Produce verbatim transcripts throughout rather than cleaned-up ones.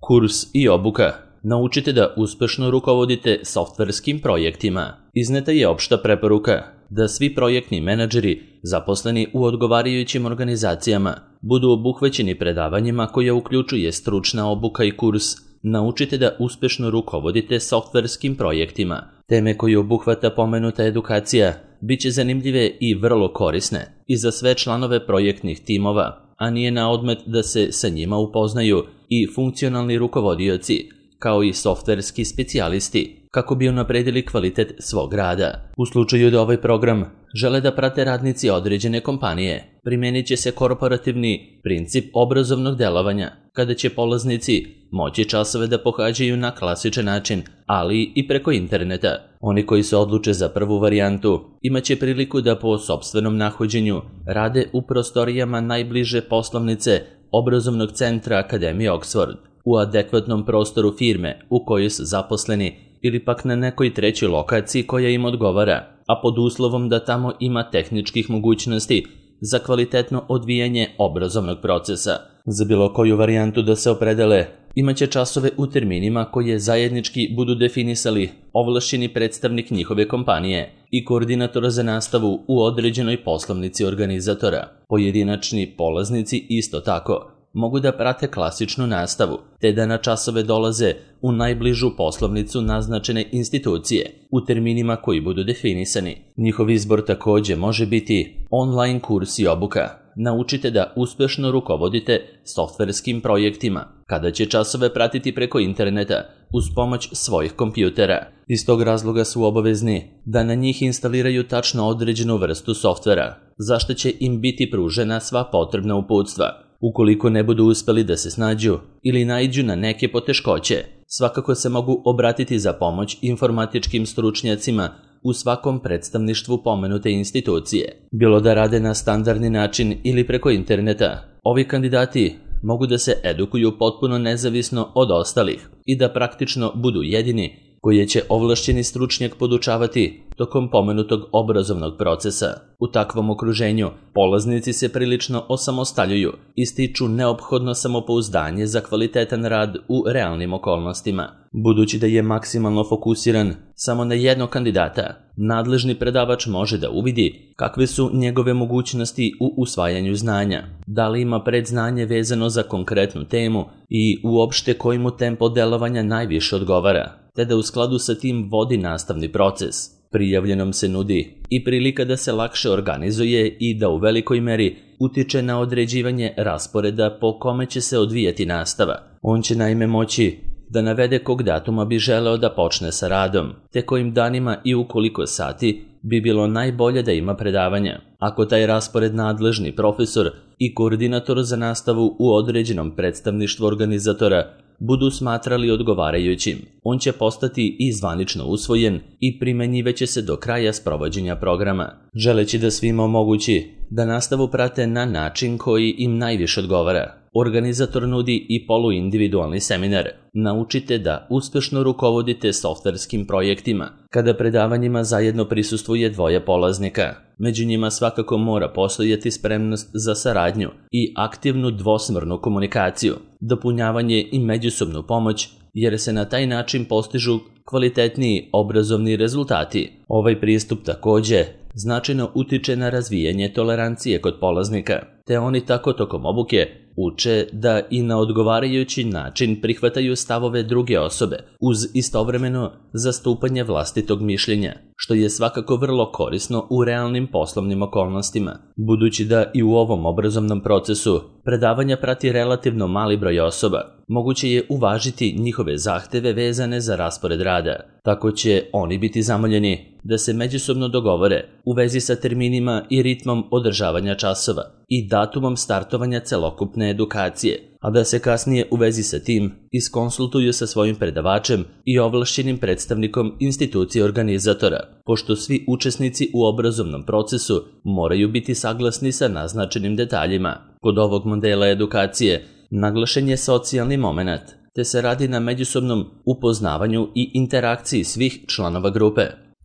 Kurs i obuka. Naučite da uspešno rukovodite softverskim projektima. Izneta je opšta preporuka da svi projektni menadžeri zaposleni u odgovarajućim organizacijama budu obuhvaćeni predavanjima koja uključuje stručna obuka i kurs Naučite da uspešno rukovodite softverskim projektima. Teme koje obuhvata pomenuta edukacija biće zanimljive i vrlo korisne i za sve članove projektnih timova, a nije na odmet da se sa njima upoznaju i funkcionalni rukovodioci, kao i softverski specijalisti, kako bi unapredili kvalitet svog rada. U slučaju da ovaj program žele da prate radnici određene kompanije, primenit će se korporativni princip obrazovnog delovanja, kada će polaznici moći časove da pohađaju na klasičan način, ali i preko interneta. Oni koji se odluče za prvu varijantu imaće priliku da po sopstvenom nahođenju rade u prostorijama najbliže poslovnice obrazovnog centra Akademije Oxford, u adekvatnom prostoru firme u kojoj su zaposleni ili pak na nekoj trećoj lokaciji koja im odgovara, a pod uslovom da tamo ima tehničkih mogućnosti za kvalitetno odvijanje obrazovnog procesa. Za bilo koju varijantu da se opredele, imaće časove u terminima koje zajednički budu definisali ovlašćeni predstavnik njihove kompanije i koordinator za nastavu u određenoj poslovnici organizatora. Pojedinačni polaznici isto tako mogu da prate klasičnu nastavu, te da na časove dolaze u najbližu poslovnicu naznačene institucije u terminima koji budu definisani. Njihov izbor takođe može biti online kurs i obuka. Naučite da uspešno rukovodite softverskim projektima, kada će časove pratiti preko interneta uz pomoć svojih kompjutera. Iz tog razloga su obavezni da na njih instaliraju tačno određenu vrstu softvera, zašto će im biti pružena sva potrebna uputstva. Ukoliko ne budu uspeli da se snađu ili naiđu na neke poteškoće, svakako se mogu obratiti za pomoć informatičkim stručnjacima u svakom predstavništvu pomenute institucije. Bilo da rade na standardni način ili preko interneta, ovi kandidati mogu da se edukuju potpuno nezavisno od ostalih i da praktično budu jedini koje će ovlašćeni stručnjak podučavati tokom pomenutog obrazovnog procesa. U takvom okruženju polaznici se prilično osamostaljuju i stiču neophodno samopouzdanje za kvalitetan rad u realnim okolnostima. Budući da je maksimalno fokusiran samo na jednog kandidata, nadležni predavač može da uvidi kakve su njegove mogućnosti u usvajanju znanja, da li ima predznanje vezano za konkretnu temu i uopšte koji mu tempo delovanja najviše odgovara, te da u skladu sa tim vodi nastavni proces. Prijavljenom se nudi i prilika da se lakše organizuje i da u velikoj meri utiče na određivanje rasporeda po kome će se odvijati nastava. On će naime moći da navede kog datuma bi želeo da počne sa radom, te kojim danima i u koliko sati bi bilo najbolje da ima predavanja. Ako taj raspored nadležni profesor i koordinator za nastavu u određenom predstavništvu organizatora budu smatrali odgovarajućim, on će postati i zvanično usvojen i primenjivaće se do kraja sprovođenja programa. Želeći da svima omogući da nastavu prate na način koji im najviše odgovara, organizator nudi i poluindividualni seminar. Naučite da uspešno rukovodite softverskim projektima, kada predavanjima zajedno prisustvuje dvoje polaznika. Među njima svakako mora postojati spremnost za saradnju i aktivnu dvosmernu komunikaciju, dopunjavanje i međusobnu pomoć, jer se na taj način postižu kvalitetniji obrazovni rezultati. Ovaj pristup takođe značajno utiče na razvijanje tolerancije kod polaznika, te oni tako tokom obuke uče da i na odgovarajući način prihvataju stavove druge osobe uz istovremeno zastupanje vlastitog mišljenja, što je svakako vrlo korisno u realnim poslovnim okolnostima. Budući da i u ovom obrazovnom procesu predavanja prati relativno mali broj osoba, moguće je uvažiti njihove zahteve vezane za raspored rada. Tako će oni biti zamoljeni da se međusobno dogovore u vezi sa terminima i ritmom održavanja časova i datumom startovanja celokupne edukacije, a da se kasnije u vezi sa tim iskonsultuju sa svojim predavačem i ovlašćenim predstavnikom institucije organizatora, pošto svi učesnici u obrazovnom procesu moraju biti saglasni sa naznačenim detaljima. Kod ovog modela edukacije naglašen je socijalni moment, te se radi na međusobnom upoznavanju i interakciji svih članova grupe.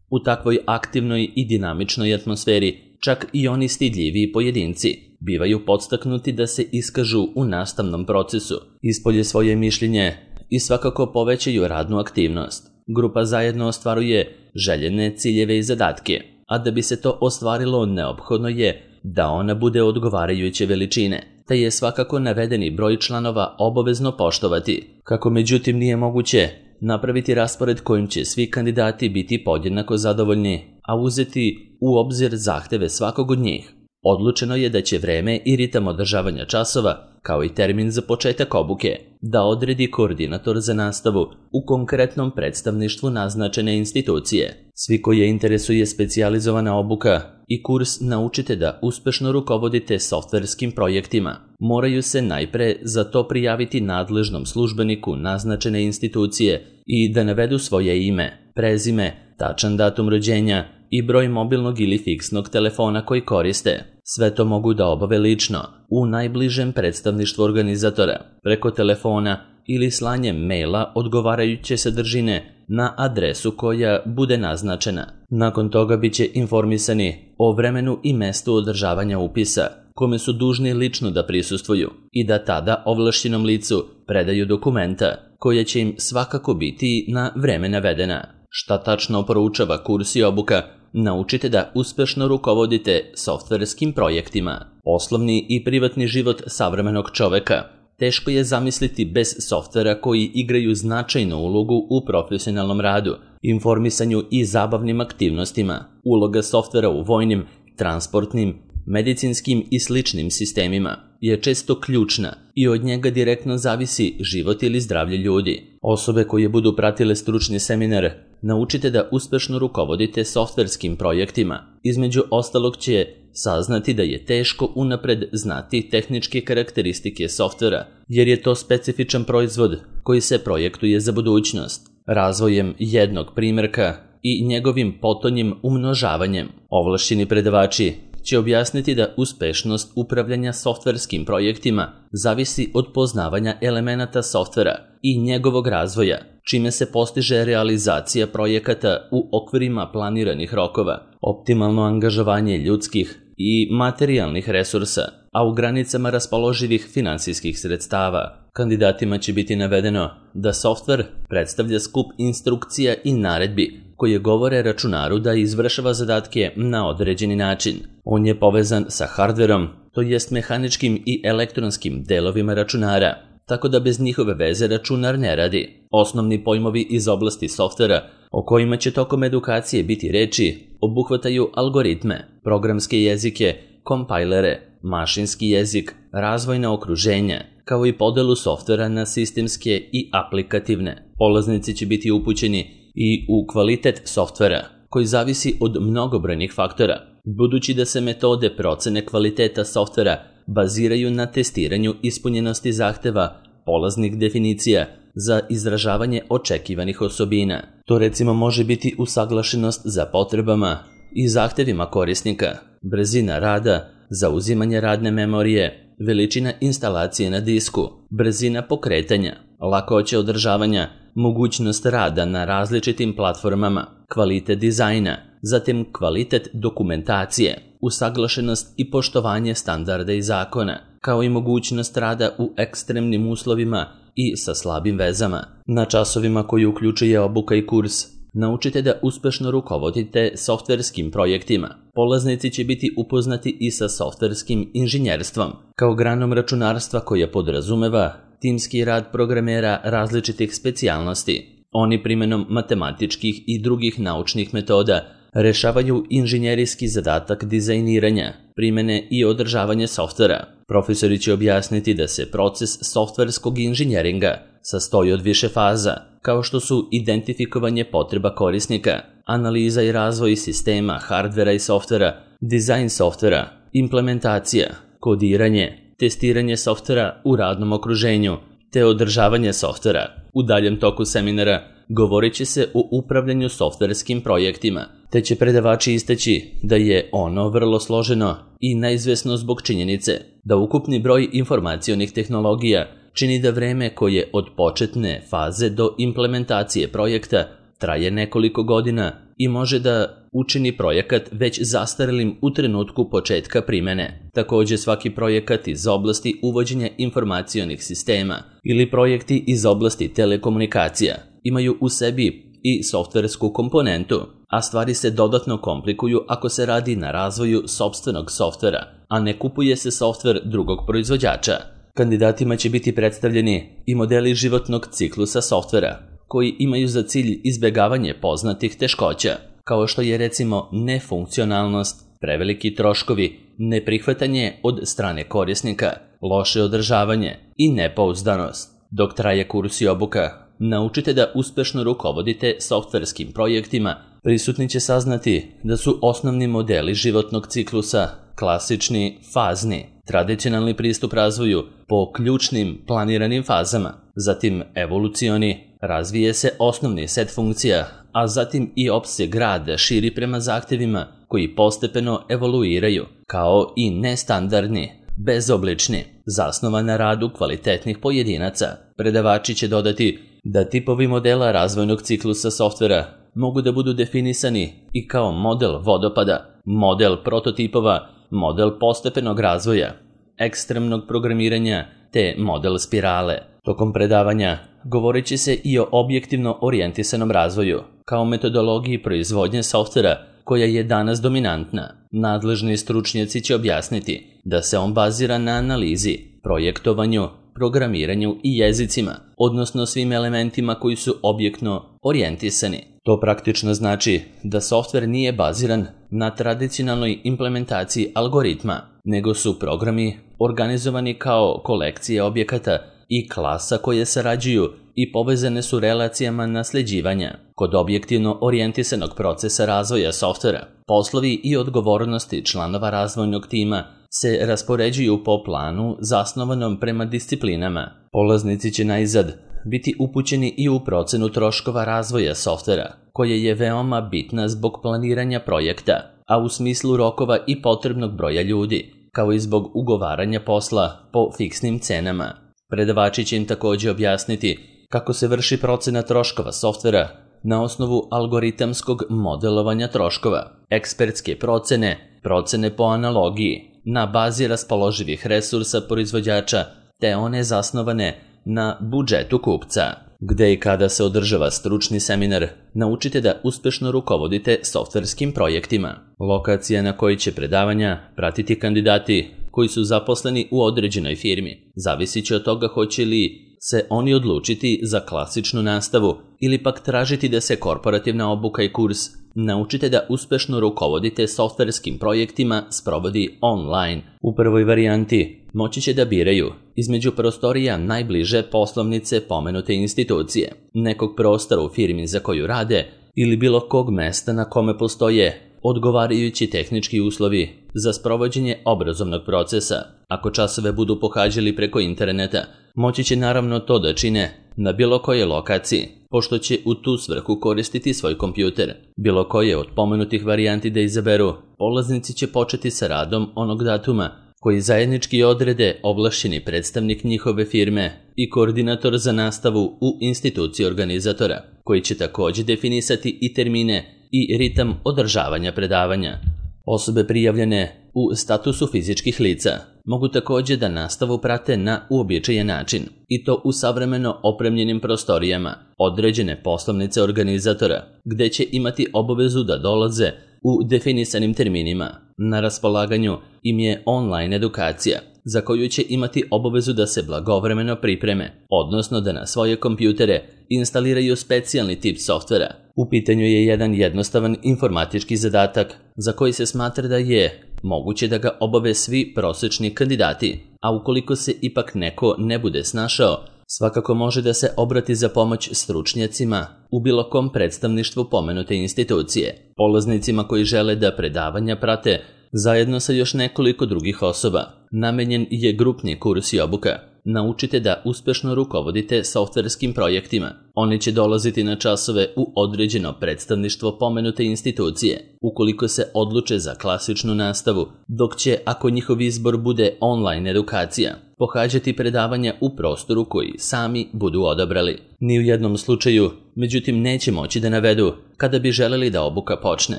U takvoj aktivnoj i dinamičnoj atmosferi čak i oni stidljiviji pojedinci bivaju podstaknuti da se iskažu u nastavnom procesu, ispolje svoje mišljenje, i svakako povećaju radnu aktivnost. Grupa zajedno ostvaruje željene ciljeve i zadatke, a da bi se to ostvarilo neophodno je da ona bude odgovarajuće veličine, te je svakako navedeni broj članova obavezno poštovati. Kako međutim nije moguće napraviti raspored kojim će svi kandidati biti podjednako zadovoljni, a uzeti u obzir zahteve svakog od njih, odlučeno je da će vreme i ritam održavanja časova, kao i termin za početak obuke, da odredi koordinator za nastavu u konkretnom predstavništvu naznačene institucije. Svi koje interesuje specijalizovana obuka i kurs Naučite da uspešno rukovodite softverskim projektima, moraju se najpre za to prijaviti nadležnom službeniku naznačene institucije i da navedu svoje ime, prezime, tačan datum rođenja i broj mobilnog ili fiksnog telefona koji koriste. Sve to mogu da obave lično, u najbližem predstavništvu organizatora, preko telefona ili slanjem maila odgovarajuće sadržine na adresu koja bude naznačena. Nakon toga bit će informisani o vremenu i mestu održavanja upisa, kome su dužni lično da prisustvuju i da tada ovlašćenom licu predaju dokumenta koja će im svakako biti na vreme navedena. Šta tačno proučava kurs i obuka Naučite da uspešno rukovodite softverskim projektima. Poslovni i privatni život savremenog čoveka teško je zamisliti bez softvera koji igraju značajnu ulogu u profesionalnom radu, informisanju i zabavnim aktivnostima. Uloga softvera u vojnim, transportnim, medicinskim i sličnim sistemima je često ključna i od njega direktno zavisi život ili zdravlje ljudi. Osobe koje budu pratile stručni seminar Naučite da uspešno rukovodite softverskim projektima, između ostalog će saznati da je teško unapred znati tehničke karakteristike softvera, jer je to specifičan proizvod koji se projektuje za budućnost. Razvojem jednog primjerka i njegovim potonjim umnožavanjem, ovlašćeni predavači će objasniti da uspešnost upravljanja softverskim projektima zavisi od poznavanja elemenata softvera i njegovog razvoja, čime se postiže realizacija projekata u okvirima planiranih rokova, optimalno angažovanje ljudskih i materijalnih resursa, a u granicama raspoloživih finansijskih sredstava. Kandidatima će biti navedeno da softver predstavlja skup instrukcija i naredbi koje govore računaru da izvršava zadatke na određeni način. On je povezan sa hardverom, to jest mehaničkim i elektronskim delovima računara, tako da bez njihove veze računar ne radi. Osnovni pojmovi iz oblasti softvera, o kojima će tokom edukacije biti reči, obuhvataju algoritme, programske jezike, kompajlere, mašinski jezik, razvojna okruženja, kao i podelu softvera na sistemske i aplikativne. Polaznici će biti upućeni i u kvalitet softvera, koji zavisi od mnogobrojnih faktora, budući da se metode procene kvaliteta softvera baziraju na testiranju ispunjenosti zahteva polaznih definicija za izražavanje očekivanih osobina. To recimo može biti usaglašenost za potrebama i zahtevima korisnika, brzina rada, zauzimanje radne memorije, veličina instalacije na disku, brzina pokretanja, lakoća održavanja, mogućnost rada na različitim platformama, kvalitet dizajna, zatim kvalitet dokumentacije, usaglašenost i poštovanje standarda i zakona, kao i mogućnost rada u ekstremnim uslovima i sa slabim vezama. Na časovima koji uključuje obuka i kurs Naučite da uspešno rukovodite softverskim projektima. Polaznici će biti upoznati i sa softverskim inženjerstvom, kao granom računarstva koja podrazumeva timski rad programera različitih specijalnosti. Oni primenom matematičkih i drugih naučnih metoda rešavaju inženjerijski zadatak dizajniranja, primene i održavanje softvera. Profesori će objasniti da se proces softverskog inženjeringa sastoji od više faza, kao što su identifikovanje potreba korisnika, analiza i razvoj sistema, hardvera i softvera, dizajn softvera, implementacija, kodiranje, testiranje softvera u radnom okruženju, te održavanje softvera. U daljem toku seminara govorit će se o upravljanju softverskim projektima, te će predavači istaći da je ono vrlo složeno i neizvesno zbog činjenice da ukupni broj informacionih tehnologija čini da vreme koje od početne faze do implementacije projekta traje nekoliko godina i može da učini projekat već zastarelim u trenutku početka primene. Također svaki projekat iz oblasti uvođenja informacionih sistema ili projekti iz oblasti telekomunikacija imaju u sebi i softversku komponentu, a stvari se dodatno komplikuju ako se radi na razvoju sopstvenog softvera, a ne kupuje se softver drugog proizvođača. Kandidatima će biti predstavljeni i modeli životnog ciklusa softvera, koji imaju za cilj izbjegavanje poznatih teškoća, kao što je recimo nefunkcionalnost, preveliki troškovi, neprihvatanje od strane korisnika, loše održavanje i nepouzdanost. Dok traje kurs i obuka, naučite da uspešno rukovodite softverskim projektima. Prisutni će saznati da su osnovni modeli životnog ciklusa klasični, fazni, tradicionalni pristup razvoju po ključnim planiranim fazama, zatim evolucioni, razvije se osnovni set funkcija, a zatim i opseg rada širi prema zahtjevima koji postepeno evoluiraju, kao i nestandardni, bezoblični, zasnovan na radu kvalitetnih pojedinaca. Predavači će dodati da tipovi modela razvojnog ciklusa softvera mogu da budu definisani i kao model vodopada, model prototipova, model postepenog razvoja, ekstremnog programiranja te model spirale. Tokom predavanja govorit će se i o objektivno orijentisanom razvoju, kao metodologiji proizvodnje softvera koja je danas dominantna. Nadležni stručnjaci će objasniti da se on bazira na analizi, projektovanju, programiranju i jezicima, odnosno svim elementima koji su objektno orijentisani. To praktično znači da softver nije baziran na tradicionalnoj implementaciji algoritma, nego su programi organizovani kao kolekcije objekata i klasa koje sarađuju i povezane su relacijama nasljeđivanja. Kod objektivno orijentisanog procesa razvoja softvera, poslovi i odgovornosti članova razvojnog tima se raspoređuju po planu zasnovanom prema disciplinama. Polaznici će najzad biti upućeni i u procenu troškova razvoja softvera, koja je veoma bitna zbog planiranja projekta, a u smislu rokova i potrebnog broja ljudi, kao i zbog ugovaranja posla po fiksnim cenama. Predavači će im također objasniti kako se vrši procena troškova softvera na osnovu algoritamskog modelovanja troškova, ekspertske procene, procene po analogiji, na bazi raspoloživih resursa proizvođača, te one zasnovane na budžetu kupca. Gde i kada se održava stručni seminar, naučite da uspešno rukovodite softverskim projektima. Lokacija na kojoj će predavanja pratiti kandidati koji su zaposleni u određenoj firmi zavisit će od toga hoće li se oni odlučiti za klasičnu nastavu ili pak tražiti da se korporativna obuka i kurs naučite da uspešno rukovodite softverskim projektima sprovodi online. U prvoj varijanti moći će da biraju između prostorija najbliže poslovnice pomenute institucije, nekog prostora u firmi za koju rade ili bilo kog mesta na kome postoje odgovarajući tehnički uslovi za sprovođenje obrazovnog procesa. Ako časove budu pohađali preko interneta, moći će naravno to da čine na bilo koje lokaciji, pošto će u tu svrhu koristiti svoj kompjuter. Bilo koje od pomenutih varijanti da izaberu, polaznici će početi sa radom onog datuma koji zajednički odrede ovlašćeni predstavnik njihove firme i koordinator za nastavu u instituciji organizatora, koji će također definisati i termine i ritam održavanja predavanja. Osobe prijavljene u statusu fizičkih lica mogu također da nastavu prate na uobičajen način, i to u savremeno opremljenim prostorijama određene poslovnice organizatora, gde će imati obavezu da dolaze u definisanim terminima. Na raspolaganju im je online edukacija, za koju će imati obavezu da se blagovremeno pripreme, odnosno da na svoje kompjutere instaliraju specijalni tip softvera. U pitanju je jedan jednostavan informatički zadatak za koji se smatra da je moguće da ga obave svi prosječni kandidati, a ukoliko se ipak neko ne bude snašao, svakako može da se obrati za pomoć stručnjacima u bilo kom predstavništvu pomenute institucije. Polaznicima koji žele da predavanja prate zajedno sa još nekoliko drugih osoba, namenjen je grupni kurs i obuka. naučite da uspešno rukovodite softverskim projektima. Oni će dolaziti na časove u određeno predstavništvo pomenute institucije, ukoliko se odluče za klasičnu nastavu, dok će, ako njihov izbor bude online edukacija, pohađati predavanja u prostoru koji sami budu odabrali. Ni u jednom slučaju, međutim, neće moći da navedu kada bi želeli da obuka počne,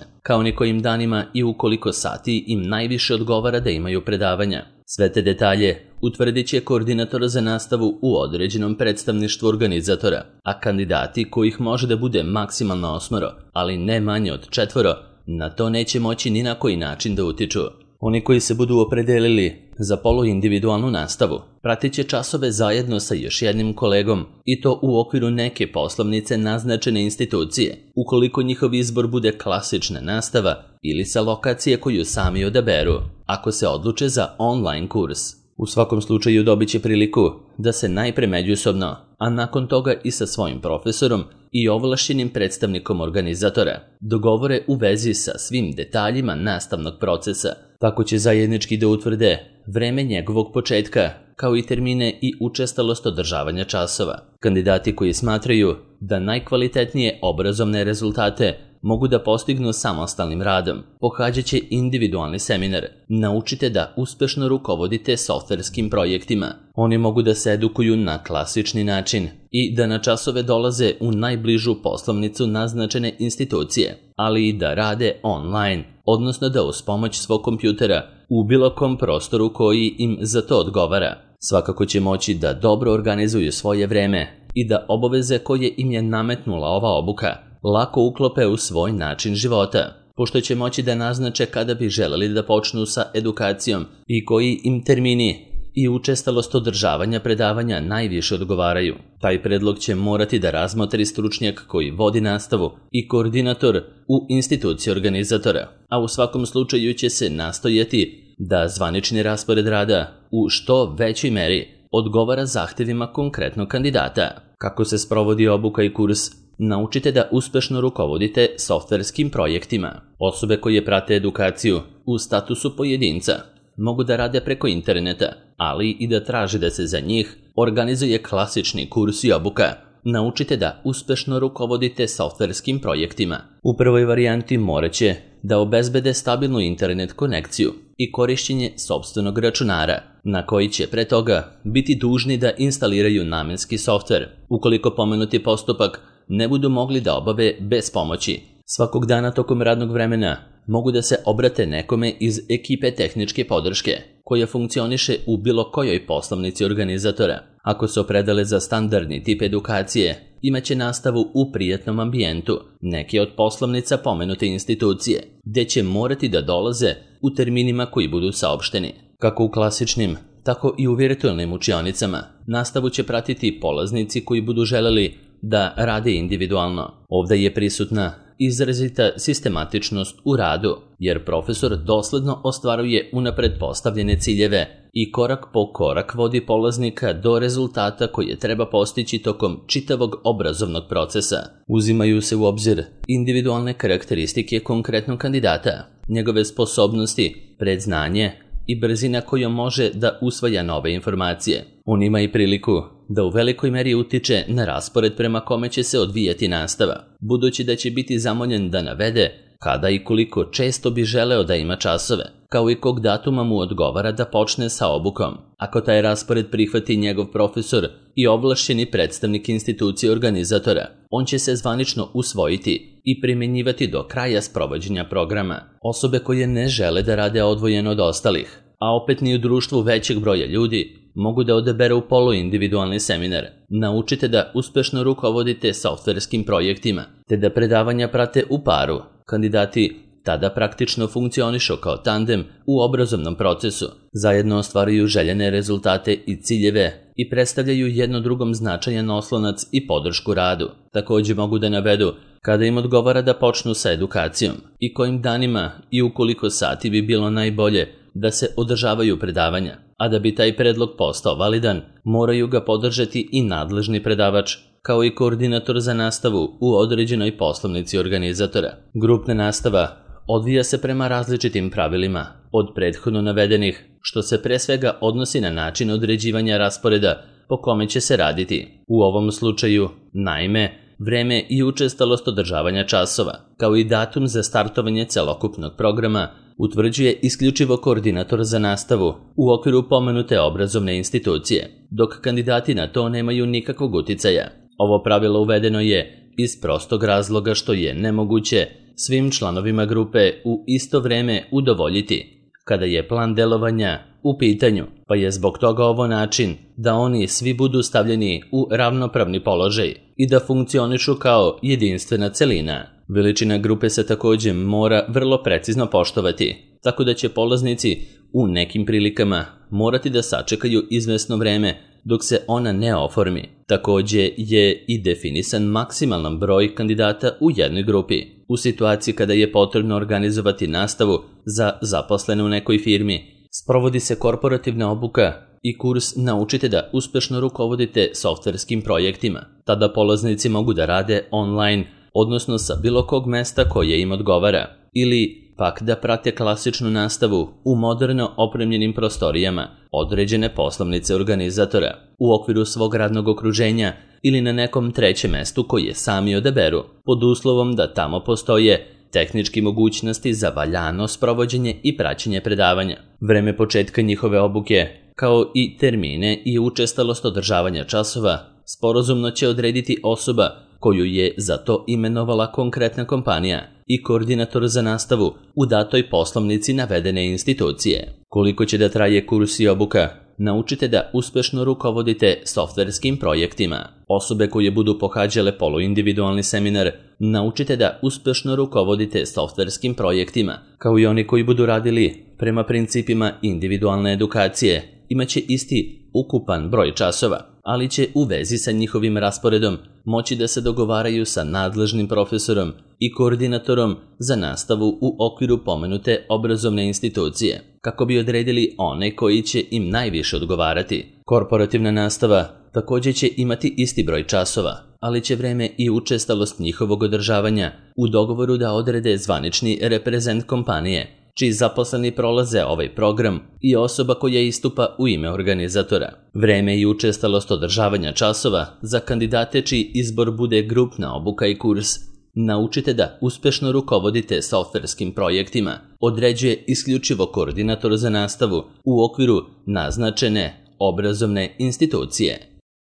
kao ni kojim danima i u koliko sati im najviše odgovara da imaju predavanja. Sve te detalje utvrdit će koordinator za nastavu u određenom predstavništvu organizatora, a kandidati kojih može da bude maksimalno osmoro, ali ne manje od četvoro, na to neće moći ni na koji način da utiču. Oni koji se budu opredelili za poluindividualnu nastavu pratit će časove zajedno sa još jednim kolegom i to u okviru neke poslovnice naznačene institucije, ukoliko njihov izbor bude klasična nastava ili sa lokacije koju sami odaberu, ako se odluče za online kurs. U svakom slučaju dobit će priliku da se najpre međusobno, a nakon toga i sa svojim profesorom i ovlašćenim predstavnikom organizatora dogovore u vezi sa svim detaljima nastavnog procesa. Tako će zajednički da utvrde vreme njegovog početka, kao i termine i učestalost održavanja časova. Kandidati koji smatraju da najkvalitetnije obrazovne rezultate mogu da postignu samostalnim radom, pohađat će individualni seminar. Naučite da uspešno rukovodite softverskim projektima. Oni mogu da se edukuju na klasični način i da na časove dolaze u najbližu poslovnicu naznačene institucije, ali i da rade online, odnosno da uz pomoć svog kompjutera u bilo kom prostoru koji im za to odgovara. Svakako će moći da dobro organizuju svoje vreme i da obaveze koje im je nametnula ova obuka lako uklope u svoj način života, pošto će moći da naznače kada bi želeli da počnu sa edukacijom i koji im termini i učestalost održavanja predavanja najviše odgovaraju. Taj predlog će morati da razmotri stručnjak koji vodi nastavu i koordinator u instituciji organizatora, a u svakom slučaju će se nastojati da zvanični raspored rada u što većoj meri odgovara zahtevima konkretnog kandidata. Kako se sprovodi obuka i kurs? Naučite da uspešno rukovodite softverskim projektima. Osobe koje prate edukaciju u statusu pojedinca mogu da rade preko interneta, ali i da traže da se za njih organizuje klasični kurs i obuka. Naučite da uspešno rukovodite softverskim projektima. U prvoj varijanti morat će da obezbede stabilnu internet konekciju i korišćenje sopstvenog računara, na koji će pre toga biti dužni da instaliraju namenski softver, ukoliko pomenuti postupak ne budu mogli da obave bez pomoći. Svakog dana tokom radnog vremena mogu da se obrate nekome iz ekipe tehničke podrške, koja funkcioniše u bilo kojoj poslovnici organizatora. Ako se opredele za standardni tip edukacije, imaće nastavu u prijatnom ambijentu neke od poslovnica pomenute institucije, gde će morati da dolaze u terminima koji budu saopšteni. Kako u klasičnim, tako i u virtualnim učionicama, nastavu će pratiti polaznici koji budu želeli da rade individualno. Ovdje je prisutna izrazita sistematičnost u radu, jer profesor dosledno ostvaruje unapred postavljene ciljeve i korak po korak vodi polaznika do rezultata koje treba postići tokom čitavog obrazovnog procesa. Uzimaju se u obzir individualne karakteristike konkretnog kandidata, njegove sposobnosti, predznanje i brzina kojom može da usvaja nove informacije. On ima i priliku da u velikoj meri utiče na raspored prema kome će se odvijati nastava, budući da će biti zamoljen da navede kada i koliko često bi želeo da ima časove, kao i kog datuma mu odgovara da počne sa obukom. Ako taj raspored prihvati njegov profesor i ovlašćeni predstavnik institucije organizatora, on će se zvanično usvojiti i primjenjivati do kraja sprovođenja programa. Osobe koje ne žele da rade odvojeno od ostalih, a opet ni u društvu većeg broja ljudi, mogu da odaberu poluindividualni seminar. Naučite da uspešno rukovodite softverskim projektima, te da predavanja prate u paru. Kandidati tada praktično funkcionišu kao tandem u obrazovnom procesu, zajedno ostvaruju željene rezultate i ciljeve i predstavljaju jedno drugom značajan oslonac i podršku radu. Također mogu da navedu kada im odgovara da počnu sa edukacijom i kojim danima i u koliko sati bi bilo najbolje da se održavaju predavanja, a da bi taj predlog postao validan, moraju ga podržati i nadležni predavač, kao i koordinator za nastavu u određenoj poslovnici organizatora. Grupna nastava odvija se prema različitim pravilima, od prethodno navedenih što se pre svega odnosi na način određivanja rasporeda po kome će se raditi. U ovom slučaju, naime, vreme i učestalost održavanja časova, kao i datum za startovanje celokupnog programa, utvrđuje isključivo koordinator za nastavu u okviru pomenute obrazovne institucije, dok kandidati na to nemaju nikakvog uticaja. Ovo pravilo uvedeno je iz prostog razloga što je nemoguće svim članovima grupe u isto vreme udovoljiti kada je plan delovanja u pitanju, pa je zbog toga ovo način da oni svi budu stavljeni u ravnopravni položaj i da funkcionišu kao jedinstvena celina. Veličina grupe se također mora vrlo precizno poštovati, tako da će polaznici u nekim prilikama morati da sačekaju izvesno vreme dok se ona ne oformi. Također je i definisan maksimalan broj kandidata u jednoj grupi. U situaciji kada je potrebno organizovati nastavu za zaposlene u nekoj firmi, sprovodi se korporativna obuka i kurs Naučite da uspešno rukovodite softverskim projektima. Tada polaznici mogu da rade online, odnosno sa bilo kog mesta koje im odgovara, ili pak da prate klasičnu nastavu u moderno opremljenim prostorijama određene poslovnice organizatora, u okviru svog radnog okruženja ili na nekom trećem mestu koje sami odaberu, pod uslovom da tamo postoje tehnički mogućnosti za valjano sprovođenje i praćenje predavanja. Vreme početka njihove obuke, kao i termine i učestalost održavanja časova, sporazumno će odrediti osoba koju je za to imenovala konkretna kompanija i koordinator za nastavu u datoj poslovnici navedene institucije. Koliko će da traje kurs i obuka? Naučite da uspešno rukovodite softverskim projektima. Osobe koje budu pohađale poluindividualni seminar Naučite da uspešno rukovodite softverskim projektima, kao i oni koji budu radili prema principima individualne edukacije, imaće isti ukupan broj časova, ali će u vezi sa njihovim rasporedom moći da se dogovaraju sa nadležnim profesorom i koordinatorom za nastavu u okviru pomenute obrazovne institucije, kako bi odredili one koji će im najviše odgovarati. Korporativna nastava također će imati isti broj časova, ali će vreme i učestalost njihovog održavanja u dogovoru da odrede zvanični reprezent kompanije, čiji zaposleni prolaze ovaj program i osoba koja istupa u ime organizatora. Vreme i učestalost održavanja časova za kandidate čiji izbor bude grupna obuka i kurs Naučite da uspešno rukovodite softverskim projektima određuje isključivo koordinator za nastavu u okviru naznačene obrazovne institucije.